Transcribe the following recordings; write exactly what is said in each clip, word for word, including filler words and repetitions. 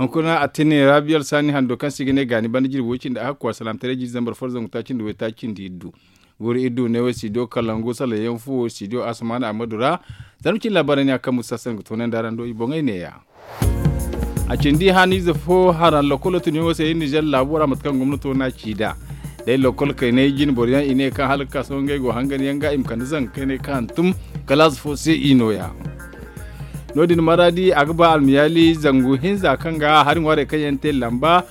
Hunkuna a tine rabiyal saani hando kaŋ se i ga ne gaani banda jirbi way cindi a hakku a salaamataray jiiri zambar fo zangu taaci nda way taaci nda iddu. Guuru iddu ne way studio kalangu salaŋ yaŋ fuwo studio asamaana amadu ra. Zarma cindi laabaarey ne a kaŋ musa saŋ ga toonandi araŋ do i boŋey neeya. A cindi haniize fo haraŋ lokolo tunyaŋo se iri nizer laabo ra mate kaŋ gomnato n'a ci nd'a. Day lokol kaynay jine boro yaŋ i ne kaŋ hala ga ka sohõ ngey go hangan yaŋ ga i ma kande zanka kaynay kaŋ hantum kalaas fo se i nooya. No- din maraadi a ga ba almiyaali zangu hinza kaŋ ga hari ŋwaarey kaŋ yaŋ te lamba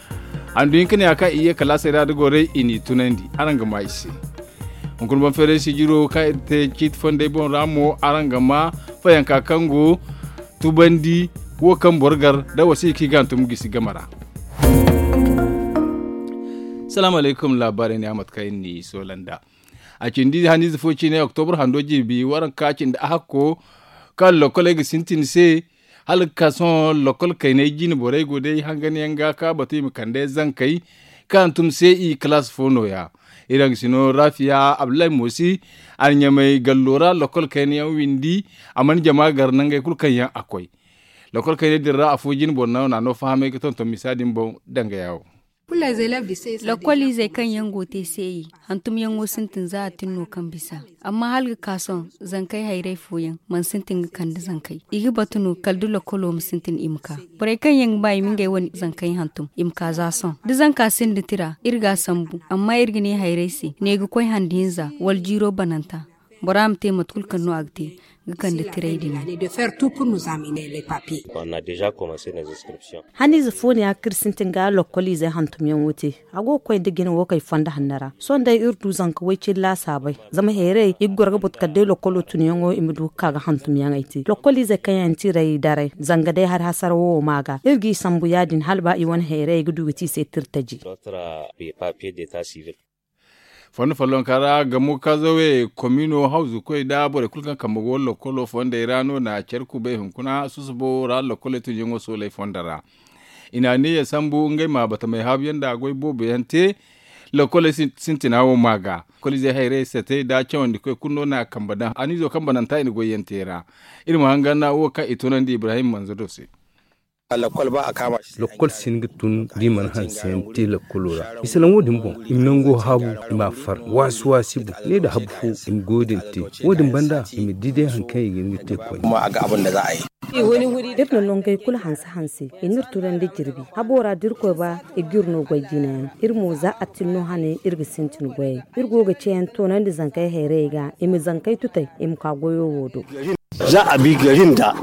handu hinka ne ya kaŋ i ye kalaasey ra da gorey i n'i tunandi. Araŋ ga maa i se. Hunkuna boŋ feeray sijiro kaŋ iri te ciiti fondey boŋ ra mo araŋ ga maa fayanka kaŋ go tubandi wo kaŋ boro gar da wasiya kaŋ i ga hantum gisi game ra. Salaamu alaykum laabaarey ne a mate kaŋ iri n'i soola nd'a. A cindi haniize fo ciine oktobur hando jirbi waranka cindi a hakko kaŋ lokoley ga sintin se hala ga ka sohõ lokol kaynay jine borey go day hangan yaŋ ga ka batu i ma kande zankey kaŋ hantum se i kalaas fo nooya. Iri hangasino rafiya abdullahi moosi a na ɲamay gallo ra lokol kayna yaŋ windi. A mana jama gar nangey kulu kaŋ yaŋ a koy lokol kaynay din ra afo jine boro naŋ no a no fahamay ga tonton misa din boŋ danga yaawo. Lokol izey kaŋ yaŋ go te seeyi hantumyaŋo sintin za a tin no kaŋ bisa. Amma hala ga ka sohõ zankey hayray fooyaŋ mana sintin ga kande zankey i ga batu no kala da lokolo ma sintin i ma ka. Borey kaŋ yaŋ ga ba i ma ngey wane zankey hantum i ma ka za sohõ da zanka sinda tira iri ga a sambu amma iri ga ne hayray se ne ga koy handi hinza wala jiiro bananta. Bora ma te mate kulu kaŋ no a ga te ga kande tiray din. Haniize fo ne ya kaŋ iri sintin ga lokol izey hantumyaŋo te. A go ga koy nda jine wo kay fondo hanno ra sohõ day iri du zanka way cine laasaabey zama heeray i ga goro ga batu kala day lokolo tunyaŋo i ma du ga ka ga hantumyaŋey te lokol izey kaŋ yaŋ tiray daray zanga day hari hasara wo wo ma ga iri g'i sambu ya- din hala ba i wane heeray ga du ga te i se tirtaji. Fondo follonka ra gamo kazawe komino hawzu koy nda borey kulu kaŋ kambe go lokolo fondey ra no na care kubay hunkuna susubo ra lokoley tunyaŋo soolay fondo ra. I na aniya sambu ngey ma batamey haabu yaŋ nda goy boobo yaŋ te. Lokoley sintina wo ma ga lokolizey hayrey sate nda cawandi koy kulu no na kambe daŋ anizo kaŋ bananta i na goy yaŋ te ra. Iri ma hangan wo kaŋ i tunandi ibrahim manzo do se. Lokol si hin ga tun da i mana hanse yaŋ te lokolo ra i salaŋ wo- din boŋ i ma nango haabu i ma a far waasi waasi boŋ ne nda habu fo i ma goyo din te. Wo- din banda i ma di day hari kaŋ i ga hin ga te koyne. Iri na nongey kulu hanse hanse i n'iri tunandi jirbi habo ra da irkoy ba i g'iri no goy jinayaŋ. Iri mo za a tin no hane iri ga sintin goyey. Iri go ga ceeyaŋ toonandi zankey hayrayey ga i ma zankey tutay i ma ka goyo wo do. Za a bi gari nda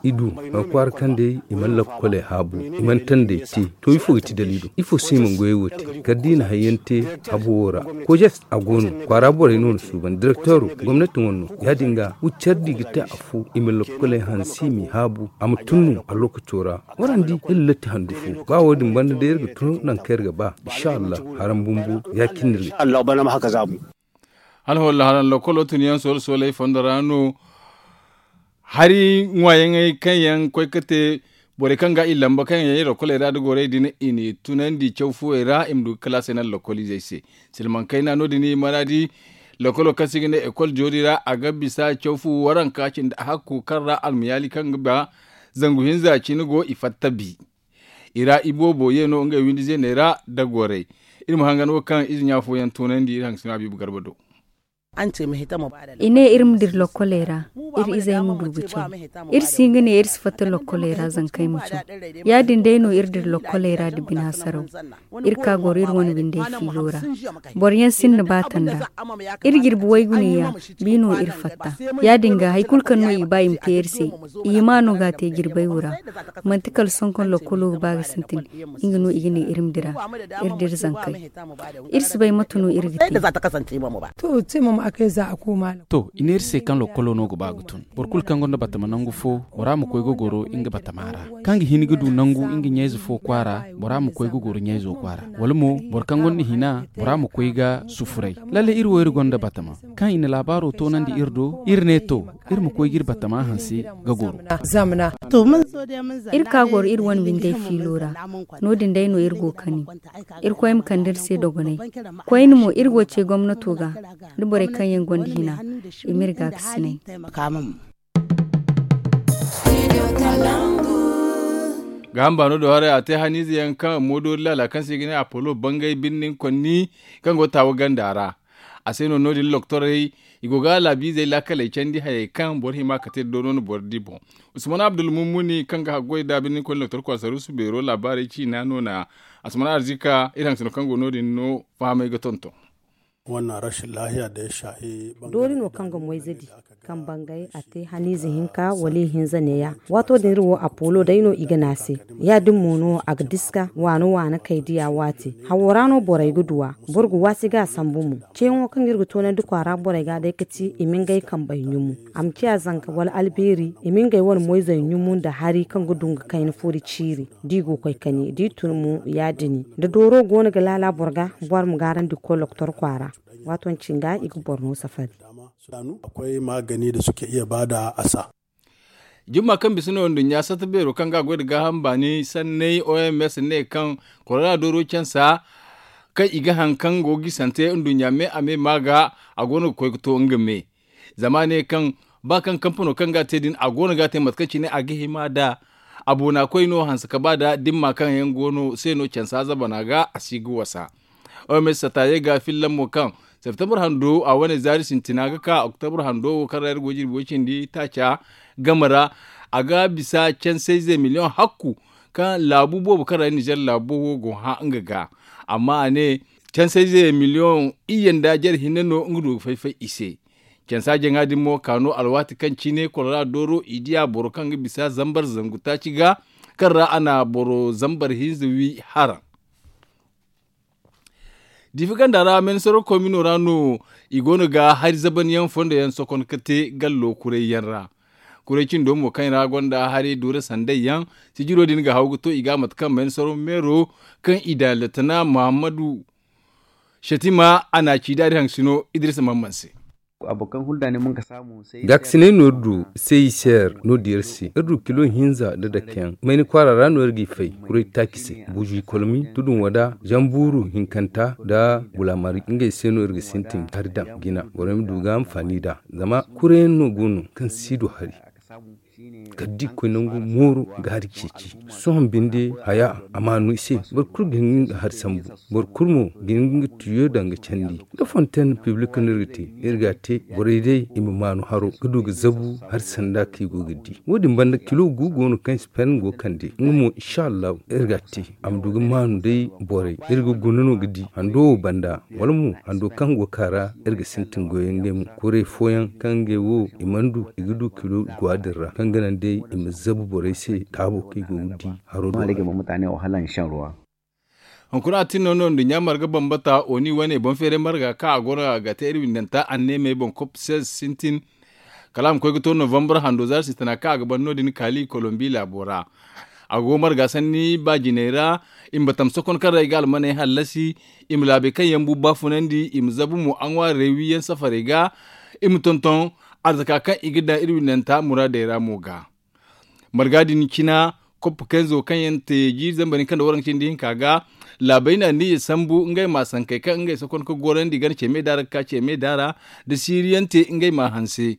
i du a kwaara kaŋ day i mana lakkoley haabu i mana tandey te. To ifo ga ti daliilo ifo se i mana goyey wo te kala da i na hayyaŋ te habo wo ra. Kojes a go no kwaara borey no na suuban direktoro gomnati wane no ya- din ga wuccardi ga te afo i ma lakkoley hanse i m'i haabu a ma tun no a lokaco ra. Warandi iri latti handu fo ba wo- din banda day iri ga tun nangu kaŋ iri ga ba. Inshallah haram bumbo ya- cine no iri ga te. Alhawalla haraŋ lokolo tun yaŋ soole sooley fondo ra no. Hari ŋwaayaŋey kaŋ yaŋ koy ga te borey kaŋ ga i lamba kaŋ yaŋ yay lokoley ra da gorey din i n'i tunandi caw fuwey ra i ma du ga kalaasey naŋ lokoliizey se. Silmaŋ kayna no- din i mana di lokolo kaŋ se i ga ne ekol joori ra a ga bisa caw fu waranka cindi a hakku kaŋ ra almayaali kaŋ ga ba zangu hinza cine go i fatta bi. I ra iboobo ye no ngey windi zeeney ra da gorey. Iri ma hangan wo kaŋ ize ɲa fooyaŋ toonandi iri hangasino habiibu garba do. I ne iri ma dira lokkoley ra iri izey ma du ga caw. Iri si hin ga ne iri si fatta lokkoley ra zankey ma caw. Ya- din day no iri dira lokkoley ra nda bine hasaraw. Iri ka goro iri wane windey fiilo ra. Boro yaŋ sinda ba tanda. Iri jirbi waygu neeya bi no iri fatta. Ya- din ga hari kulu kaŋ no i ba i ma te iri se i hima no ga a te jirbey wo ra. Manti kala sohõ kaŋ lokkolo ga ba ga sintin. Nga no i ga ne iri ma dira iri dira zankey. Iri si bay mate no iri ga te. To i ne iri se kaŋ lokkolo no ga ba ga tun boro kulu kaŋ gonda batama nangu fo bora ma koy ga goro nga batama ra. Kaŋ ga hin ga du nangu nga ɲayze fo kwaara bora ma koy ga goro ɲayzo kwaara. Wala mo boro kaŋ gonda hina bora ma koy ga sufuray. Lalle iri wo iri gonda batama kaŋ i na laabaaro toonandi iri do iri ne to iri ma koy ga iri batama hanse ga goro. Iri ka goro iri wane windey fiilo ra. No- din day no iri go ga kani. Irkoy ma kande iri se dogonay. Koyne mo iri go ga ce gomnato ga da borey kaŋ yaŋ gonda hina i ma iri gaakasinay. Gaaham baano do haray a te haniize yaŋ kaŋ moodoori laala kaŋ se i ga ne apollo bangay birnin konni kaŋ go taawa ganda ra. A se no no- din loktorey i go ga laabiizey laakaley candi hayey kaŋ boro hima ka te da doonoo no boro di boŋ. Usman abdulmumuni kaŋ ga haggoy da birnin konni loktor kwasarusu beero laabaarey ciina no na. Asman arzika iri haŋ sino kaŋ go no- din no fahamay ga tonton. Doori no kaŋ ga moyze di kaŋ bangay a te haniize hinka wala ihinza neeya. Waato din iri wo apollo day no i ga ne a se. Ya- din mo no a ga diska waana waana kay diya waati hawo ra no borey ga duw'a. Boro ga waasi ga a sambu mo. Ceeyaŋo kaŋ iri ga toonandi kwaara borey ga day ga ti i ma ngey kambey ɲumu. A ma ciya zanka wala albeeri i ma ngey wane moyzey ɲumu nda hari kaŋ ga du nga kayna furi ciiri. Da i go ga koy kani da i tun mo ya- din da dooro go no ga laala boro ga. Boro ma gaarandi ga koy loktor kwaara. Waato cinga i ga boro no safari. Akwai magani da suke iya bada a sa. Jumma kaŋ bisa no nduɲɲa satta beero kaŋ ga a goy nda gaaham baani sanney oms ne kaŋ korona dooro cansa kaŋ i ga haŋ kaŋ go ga gisante nduɲɲa me a me ma ga a go no ga koy ga to nga me. Zama a ne kaŋ ba kaŋ kampano kaŋ ga a te din a go no ga a te mate kaŋ cine a ga hima nd'a. A boona koy no hanse ka ba nd'a dimma kaŋ yaŋ go no se no cansa zabana ga a si ga wasa. Oms sata ye ga filla mo kaŋ septembre hando a wane zaari sintina ga ka oktobre hando wo kaŋ ra iri go jirbi way cindi taaca game ra. A ga bisa cansayze miliyoŋ hakku kaŋ laabu boobo kaŋ ra nizer laabu wo go hã nga ga. Amma a ne cansayze miliyoŋ iyye nda jare hinne no nga du ga fay-fay i se. Cansa jaŋa din mo ka no alwaati kaŋ cine kolora dooro i diya boro kaŋ ga bisa zambar zangu taaci ga kaŋ ra a na boro zambar hinza wi haraŋ. Diifi ganda ra meensaro komino ra no i go no ga hari zaban yaŋ fondo yaŋ sokon ga te gallo kuray yaŋ ra. Kuray cindo mo kaŋ ra gonda hari duura sanday yaŋ sijiro din ga haw ga to i ga mate kaŋ meensaro meero kaŋ i da letana muhammadu shatima a na ci daari haŋ sino idrisa mamman se. Gaakasinay no iri du seiser no di iri se iri du kilo hinza nda dakeyaŋ mayni kwaara ra no iri g'i fay kuray taaci se buuzu ikolomi tudun wada zambuuru hinkanta nda bulamari ngey se no iri ga sintin hari daŋ jina borey ma du ga anfaani nd'a. Zama kurayaŋ no go no kaŋ si du hari kala da i koy nangu mooru ga hari ceeci. Sohõ binde haya a maanu i se. Boro kulu ga hin ga nga hari sambu. Boro kulu mo ga hin ga nga tiyo daŋ ga candi. Nda fonten piblik no iri ga te iri ga a te borey day i ma maanu haro ga du ga zabu hari sanda kaŋ i go ga di. Wo- din banda kilo gu go no kaŋ i si pen go kande nga mo insa allahu iri ga a te. A ma du ga maanu day borey iri ga guna no ga di hando wo banda wala mo hando kaŋ go ga ka ra iri ga sintin goyey ngey mo. Kuray fooyaŋ kaŋ ngey wo i mana du i ga du kilo gwa din ra kaŋ ga naŋ day i ma zabu borey se taabo kaŋ i go ga di haro do. Hunkuna a tin no no nduɲɲa marga bambata oni wane boŋ feeray marga kaŋ a go no ga te iri windanta anneemey boŋ kopses sintin. Kala a ma koy ga to novembre hando zaari sintina kaŋ a ga ban no- din kaali kolombi laabo ra. A go marga sanni ba jinay ra i ma batam sokon kaŋ ra i ga almaney hallasi i ma laabey kaŋ yaŋ bu baafunandi i ma zabu mo aŋwaarey wiyaŋ safarey ga. I ma tonton arzaka kaŋ i ga daŋ iri windanta muraadey ra mo ga. Marga din cina koppa kayzo kaŋ yaŋ te jiiri zambar hinka nda waranka cindi hinka ga. Laabey na niya sambu ngey ma sankey kaŋ ngey sokon ga gorandi gana ceme daara ga ka ceme daara da siiriyaŋ te ngey ma hanse.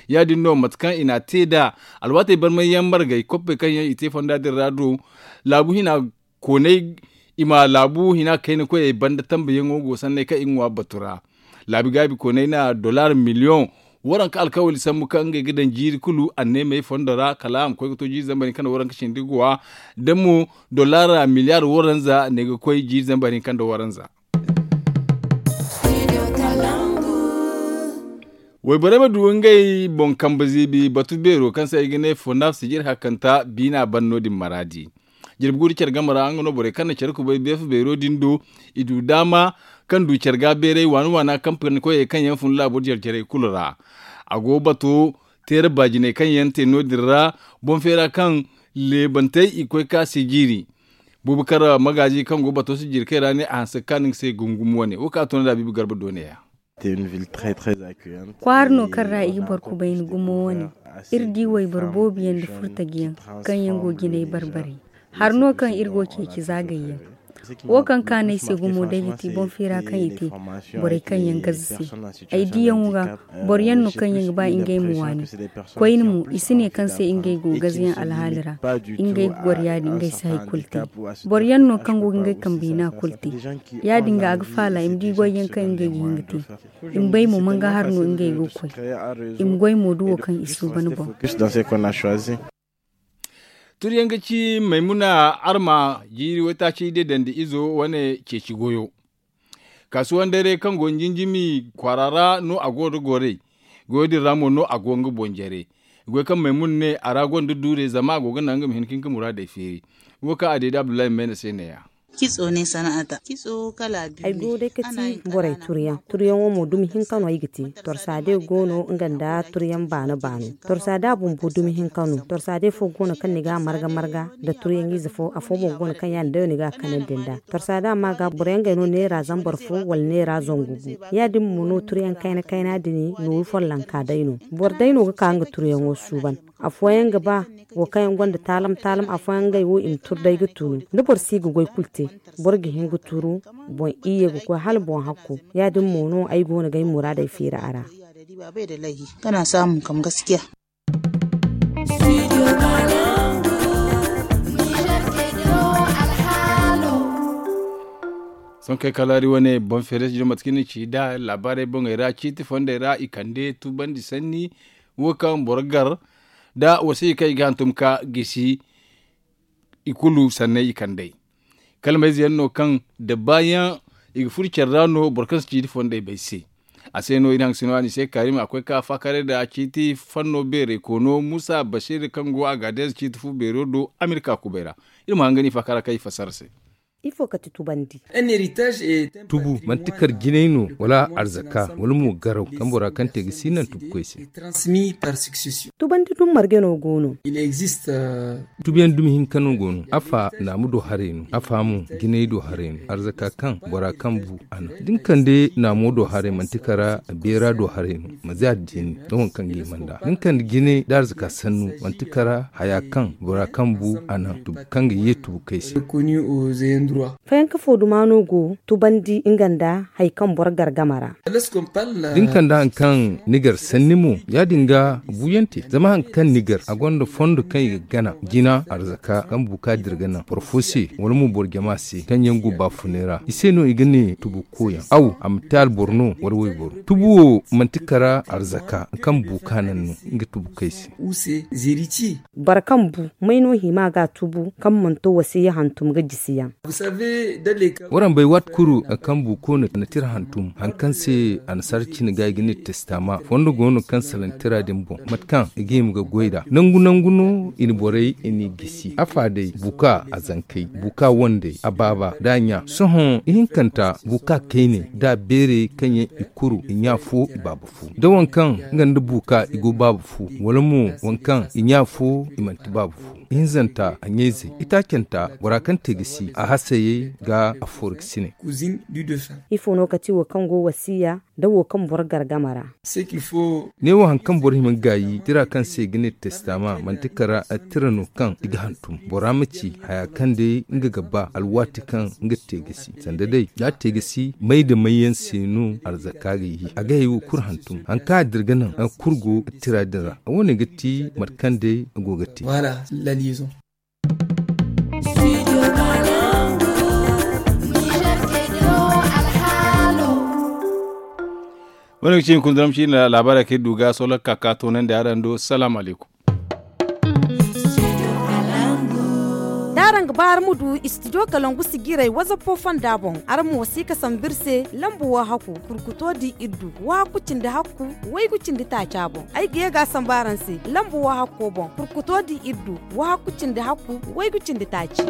Ya- din no mate kaŋ i n'a te nd'a alwaatey barmay yaŋ margay koppey kaŋ yaŋ i te fonda din ra do laabu hina koonay i ma laabu hina kayna koyey banda tambayaŋo go sanney kaŋ i ga ŋwa batu ra. Laabi gaabi koonay na dollar miliyoŋ waranka alkawali sambu kaŋ ngey ga daŋ jiiri kulu anneemey fondo ra kala a ma koy ga to jiiri zambar hinka nda waranka cindi guwa da mo dollar miliyar waranza ne ga koy jiiri zambar hinka nda waranza. Wayborey ma du ngey boŋ kambe ziibi batu beero kaŋ se ay ga ne fonaf sijir hakkanta biina ban no- din maraadi. Jirbi guuru care game ra nga no borey kaŋ na care kubay beefa beero din do i du daama kaŋ du care ga beeray waana waana kaŋ panikoyey kaŋ yaŋ fun laabo jare jarey kulu ra. A go bato teera baajiney kaŋ yaŋ te no- din ra boŋ feera kaŋ leebantey i koy ka se jiiri. Bubakar magaazi kaŋ go bato sijirkey ra ne a hanse ga kaanu nga se gungumo wane wo kaŋ a to no da biibi garba doone ya. Kwaara no kaŋ ra i ga boro kubayni gumo wane. Iri di wayboro boobo yaŋ nda furtaji yaŋ kaŋ yaŋ go jinay barbarey. Hari no kaŋ iri go ceeci zaagay yaŋ. Wo kaŋ ka no ay se gumo day ga ti boŋ feera kaŋ i te borey kaŋ yaŋ gaze se. Ay diyaŋo ga boro yaŋ no kaŋ yaŋ ga ba ngey ma waani. Koyne mo i si ne kaŋ se ngey go gazeyaŋ alhaali ra. Ngey ga goro ya- din ngey si hari kulu te. Boro yaŋ no kaŋ go ga ngey kambe hina kulu te. Ya- din ga a ga faala i ma di goy yaŋ kaŋ ngey ga hin ga te. I ma bay mo manga hari no ngey go ga koy. I ma goy mo da wo kaŋ i suuban boŋ. Turiyaŋ ga ci maymuna arma jiiri waytaaci day dandi izo wane ceeci goyo. Kaasuwan dare kaŋ go njinjimi kwaara ra no a go da gorey. Goyo din ra mo no a go nga boŋ jare. Goy kaŋ maymuna ne a ra gonda duure zama a go ga naŋ nga ma hin ka hin ka muraadey feeri. Wo kaŋ a deede abdullahi mayna se neeya. Ay go day ka ti borey turyaŋ. Turyaŋo mo dumi hinka no ay ga te. Torsa day go no nga nda turyaŋ baano baano. Torsa da bumbo dumi hinka no. Torsa day fo go no kaŋ ni ga a marga marga nda turyaŋ ize fo afo mo go no kaŋ yaadin day no ni ga a kanandi nda. Torsa da ma ga boro yaŋ gay no neera zambar fo wala neera zangu gu. Yaadin mo no turyaŋ kayna kayna din nooru follonka day no. Boro day no ga ka nga turyaŋo suuban. Afooyaŋ ga ba wo kaŋ yaŋ gonda taalam taalam afooyaŋ ngey wo i ma tur day ga turu da boro si ga goy kulu te. Boro ga hin ga turu boŋ iyye ga koy hala boŋ hakku. Yaadin mo no ay go no ga ay muraadey feeri a ra. Kana samun kam gaskiya. Sonkey kalaari wane boŋ feere si jiro mate kaŋ ni ci da laabaarey boŋey ra ciiti fondey ra i kande tubandi sanni. Wo kaŋ boro gar da wasiya kaŋ i ga hantum ka gisi i kulu sanney i kand'ey. Kala mayze yaŋ no kaŋ da baayaŋ i ga furo care ra no boro kaŋ si ciiti fondey bay se. A se no iri haŋ sino a ni se kaarima a koy ka faakare da ciiti fanno beeray koono musa basiir kaŋ go a ga deeza ciiti fu beero do amerika kubay ra. Iri ma haŋ ga ni faakara kaŋ i fassara se. Ifo ka ti tubandi? Tubu manti kar jinay no wala arzaka wala mo garaw kaŋ bora kaŋ te ga si naŋ tubukoy se. Tubandi dum marge no go no? Tubiyaŋ dumi hinka no go no afa naamu do haray no afa mo jinay do haray no arzaka kaŋ bora kaŋ bu a naŋ da ni kande naamo do haray manti kara beera do haray no. Ma za addini da waŋ kaŋ ga hima nd'a da ni kande jinay da arzaka sannu manti kara haya kaŋ bora kaŋ bu a naŋ tubu kaŋ ga ye tubu kay se. Fayanka fo duma no go tubandi nga nda hari kaŋ boro gar game ra. Da ni kande hari kaŋ ni gar sanni mo ya- din ga buuyaŋ te zama hari kaŋ ni gar a gonda fondo kaŋ i ga gana jina arzaka kaŋ buuka dira ga naŋ boro fo se wala mo boro jama se kaŋ yaŋ go baafunay ra i se no i ga ne tubu koyaŋ aw a ma te alboro no wala wayboro. Tubu wo manti kara arzaka kaŋ buuka naŋ no nga tubu kay se. Boro kaŋ bu may no hima ga a tubu kaŋ mana to wasiya hantum ga jisi yaŋ? Waraŋ bay waati kulu kaŋ buuko na tira hantum hari kaŋ se annasaara cine ga i ga ne testama fondo go no kaŋ salaŋ tira din boŋ mate kaŋ i ga hima ga goy nd'a nangu nangu no i na borey i n'i gisi afa day buuka a zankey buuka wandey a baaba da a ɲa sohõ ihinkanta buuka kayne da beerey kaŋ yaŋ i kuru i ɲa fo i baaba fo da waŋ kaŋ nga nda buuka i go baaba fo wala mo waŋ kaŋ i ɲa fo i manti baaba fo ihinzanta a ɲayzey itaacanta bora kaŋ te ga si a hasayey ga a foori ga sine. Ifo no ka ti wo kaŋ go wasiya da wo kaŋ boro gar game ra? Ne wo hari kaŋ boro hima ga gaayi tira kaŋ se ga ne testama manti kara tira no kaŋ i ga hantum bora ma ci haya kaŋ day nga ga ba alwaati kaŋ nga te ga si sanda day da a te ga si may da may yaŋ se no arzaka ga yi a ga hay wo kulu hantum hari kaŋ a dira ga naŋ hari kulu go tira din ra. Wo- ne ga ti mate kaŋ day a go ga te. Wo- ne ga ci hunkuna daram ci na laabaarey kaŋ iri du ga sohõ lakka ka toonandi araŋ do salaamu alaykum. Da araŋ ga ba araŋ ma du istidiyo kalangu sijiray wazappo fonda boŋ araŋ ma wasi ka sambu iri se lambu wo haku kurkuto di iri du wo haku cindi haku waygu cindi taaca boŋ. Ay ga ye ga a sambu araŋ se lambu wo hakko boŋ kurkuto di iri du wo haku cindi haku waygu cindi taaci.